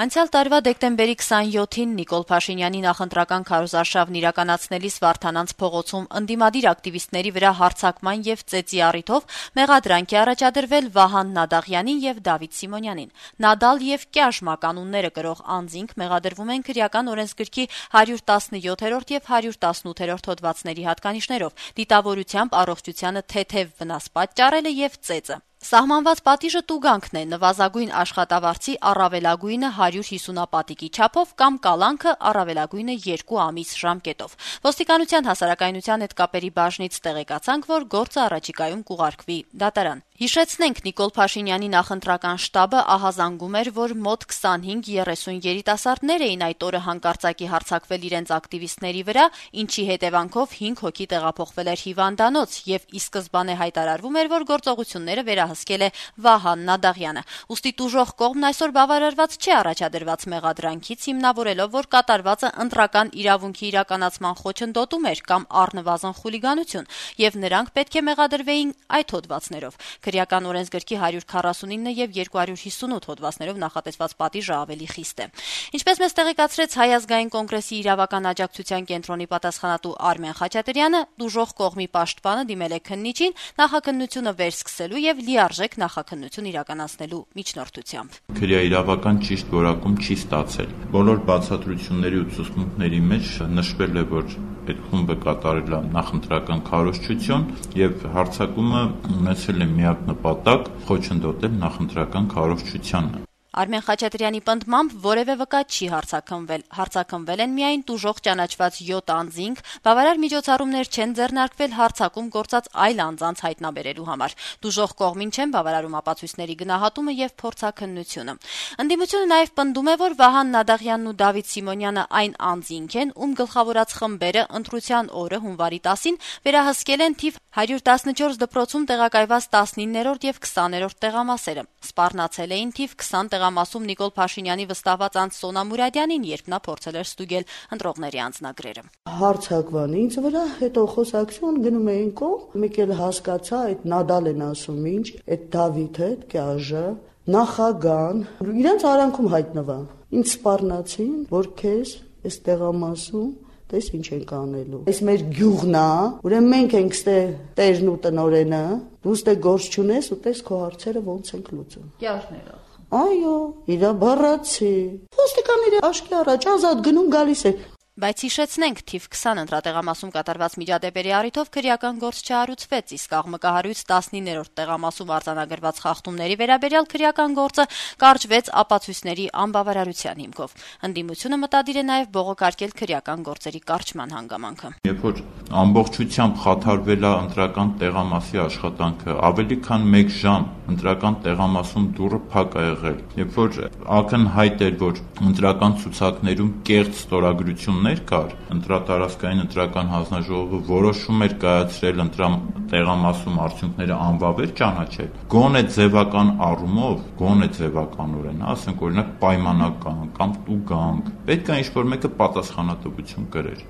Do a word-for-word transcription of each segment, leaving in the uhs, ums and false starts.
Անցյալ տարվա դեկտեմբերի քսանյոթին Նիկոլ Փաշինյանի նախընտրական քարոզարշավն իրականացնելիս Վարդանանց փողոցում ընդդիմադիր ակտիվիստների վրա հարձակման եւ ծեծի առիթով մեղադրանք է առաջադրվել Վահան Նադաղյանին եւ Դավիթ Սիմոնյանին։ Նադալ եւ Կյաշ կանունները կրող անձինք մեղադրվում են քրեական օրենսգրքի հարյուր տասնյոթերորդ եւ հարյուր տասնութերորդ հոդվածների հատկանիշներով՝ դիտավորությամբ առողջությանը թեթև վնաս պատճառելը եւ ծեծը։ Սահմանված պատիժը տուգանքն է նվազագույն աշխատավարձի առավելագույնը հարյուր հիսունապատիկի չափով կամ կալանքը առավելագույնը երկու ամիս ժամկետով։ Ոստիկանության հասարակայնության հետ կապերի բաժնից տեղեկացանք, որ գործը առաջիկայում կուղարկվի դատարան։ Հիշեցնենք, Նիկոլ Փաշինյանի նախընտրական շտաբը ահազանգում էր, որ մոտ քսանհինգ երեսուն երիտասարդներ էին այդ օրը հանկարծակի հարձակվել իրենց ակտիվիստների վրա, ինչի հետևանքով հինգ հոգի տեղափոխվել էր հիվանդանոց եւ ի սկզբանե հայտարարվում էր, որ գործողությունները վերահսկել է Վահան Նադաղյանը։ Ուստի տուժող կողմն այսօր բավարարված չէ առաջադրված մեղադրանքից, հիմնավորելով, որ կատարվածը ընտրական իրավունքի իրականացման խոչընդոտում էր կամ առնվազն խուլիգանություն, եւ նրանք պետք է մեղադրվեին այդ հոդվածներով։ Քրեական օրենսգրքի հարյուր քառասունինը եւ երկու հարյուր հիսունութ հոդվածներով նախատեսված պատիժը ավելի խիստ է։ Ինչպես մեզ տեղեկացրեց Հայ ազգային կոնգրեսի իրավական աջակցության կենտրոնի պատասխանատու Արմեն Խաչատրյանը, դուժող կողմի պաշտպանը դիմել է քննիչին նախաքննությունը վերսկսելու եւ լիարժեք նախաքննություն իրականացնելու միջնորդությամբ։ Քրեաիրավական ճիշտ որակում չի ստացել։ Բոլոր բացատրությունների ու ցուցմունքների մեջ նշվել է, որ այդ խումբը կատարել է նախընտրական քարոզչություն եւ հարձակումը ունեցել է միակ նպատակ խոչընդոտել նախընտրական քարոզչությանը։ Արմեն Խաչատրյանի պնդմամբ որևէ վկայ չի հարձակվվել։ Հարձակվել են միայն տուժող ճանաչված յոթ անձինք, բավարար միջոցառումներ չեն ձեռնարկվել հարձակում գործած այլ անձանց հայտնաբերելու համար։ Տուժող կողմին չեն բավարարում ապացույցների գնահատումը եւ փորձաքննությունը։ Ընդդիմությունը նաեւ պնդում է, որ Վահան Նադաղյանն ու Դավիթ Սիմոնյանը այն անձինք են, ում գլխավորած խմբերը ընտրության օրը հունվարի տասին վերահսկել են թիվ հարյուր տասնչորս դպրոցում տեղակայված տասնիններորդ եւ քսաներորդ տեղամասերը։ Սպառնացել էին թիվ քսան տեղամասում Նիկոլ Փաշինյանի վստահված անձ Սոնա Մուրադյանին, երբ նա փորձել էր ստուգել ընտրողների անձնագրերը։ Հարցակվան ինձ վրա, հետո խոսակցություն գնում էին կողմ, մեկ էլ հասկացա, այդ Նադալ են ասում ինչ, այդ Դավիթը, այդ Կյաժը, նախագահան, իրենց արանքում հայտնվա։ Ինձ սպառնացին, որ քեզ այս տեղամասում Տես ինչ ենք անելու։ Այս մեր գյուղն է, ուրեմն մենք ենք ստե տերն ու տնորենը, դու ստե գործ չունես ու տես քո հարցերը ոնց ենք լուծում։ Կյաշները։ Այո, իրա բառացի։ Ոստիկանները աշկի առաջ ազատ գնում գալիս է։ Բայց հիշեցնենք, թիվ քսան ընտրատեղամասում կատարված միջադեպերի առիթով քրեական գործ չհարուցվեց, իսկ աղմկահարույց տասնիններորդ տեղամասում արձանագրված խախտումների վերաբերյալ քրեական գործը կարճվեց ապացույցների անբավարարության հիմքով։ Ընդդիմությունը մտադիր է նաև բողոքարկել քրեական գործերի կարճման հանգամանքը։ Երբ որ ամբողջությամբ խաթարվել է ընտրական տեղամասի աշխատանքը, ավելի քան մեկ ժամ ընտրական տեղամասում դուռը փակ է եղել, երբ որ ակնհայտ էր, որ ընտրական ցուցակներում կեղծ ստորագրություններ կար, ընտրատարածքային ընտրական հանձնաժողովը որոշում էր կայացրել տեղամասում արդյունքները անվավեր ճանաչել, գոնե ձևական առումով, գոնե ձևականորեն, ասենք օրինակ պայմանական կամ տուգանք, պետք է ինչ-որ մեկը պատասխանատվություն կրեր։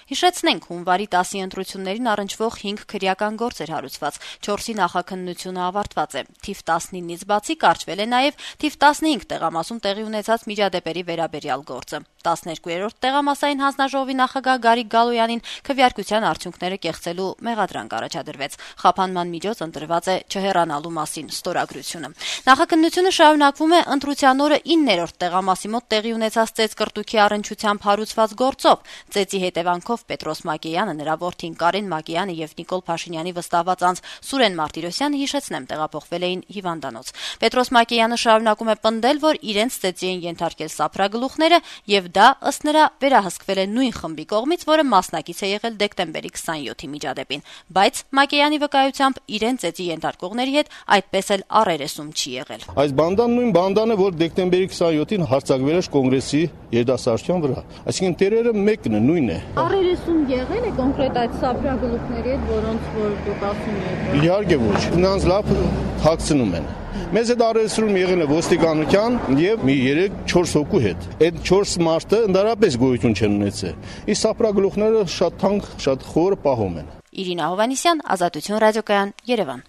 Հիշեցնենք, հունվարի տասի ընտրություններին առնչվող հինգ քրեական գործ էր հարուցված, չորսի նախաքննությունը ավարտված է, թիվ տասնինից բացի կարճվել է նաև թիվ տասնհինգ տեղամասում տեղի ունեցած միջադեպերի վերաբերյալ գործը։ տասներկուերորդ տեղամասային հանձնաժողովի նախագահ Գարիկ Գալոյանին քվեարկության արդյունքները կեղծելու մեղադրանք առաջադրվեց։ Խափանման միջոց ընտրված է չհեռանալու մասին ստորագրությունը։ Նախաքննությունը շարունակվում է ընտրության օրը իններորդ տեղամասի մոտ տեղի ունեցած ծեծկռտուքի առնչությամբ հարուցված գործով։ Ծեծի հետևանքով Պետրոս Մակեյանը, նրա որդին Կարեն Մակեյանը եւ Նիկոլ Փաշինյանի վստահված անձ Սուրեն Մարտիրոսյանը, հիշեցնեմ, տեղափոխվել էին հիվանդանոց։ Պետրոս Մակեյանը շարունակում է պնդել, որ իրենց ծեծի են ենթարկել սափրագլուխները եւ դա ըստ նրա վերահսկվել է նույն խմբի կողմից, որը մասնակից է եղել դեկտեմբերի քսանյոթի միջադեպին, բայց Մակեյանի վկայությամբ իրեն ծեծի ենթարկողների հետ այդպես էլ առերեսում չի եղել։ Այս բանդան նույն բանդան է, որ դեկտեմբերի քսանյոթին հարձակվել է կոնգրեսի երիտասարդության վրա, այսինքն տերերը մեկն է, նույնն է։ Առերեսում եղել է կոնկրետ այդ սափրագլուխների հետ, որոնց որ դուք ասում եք։ Իհարկե ոչ, նրանց լավ թաքցնում են։ Մեզ հետ առերեսում եղել է ոստիկանության եւ մի երեք-չորս հոգու հետ։ Այդ չորս մարդը ընդհանրապես գոյություն չեն ունեցել։ Իսկ սափրագլուխները շատ թանկ, շատ խոր պահում են։ Իրինա Հովանիսյան, Ազատություն ռադիոկայան, Երևան։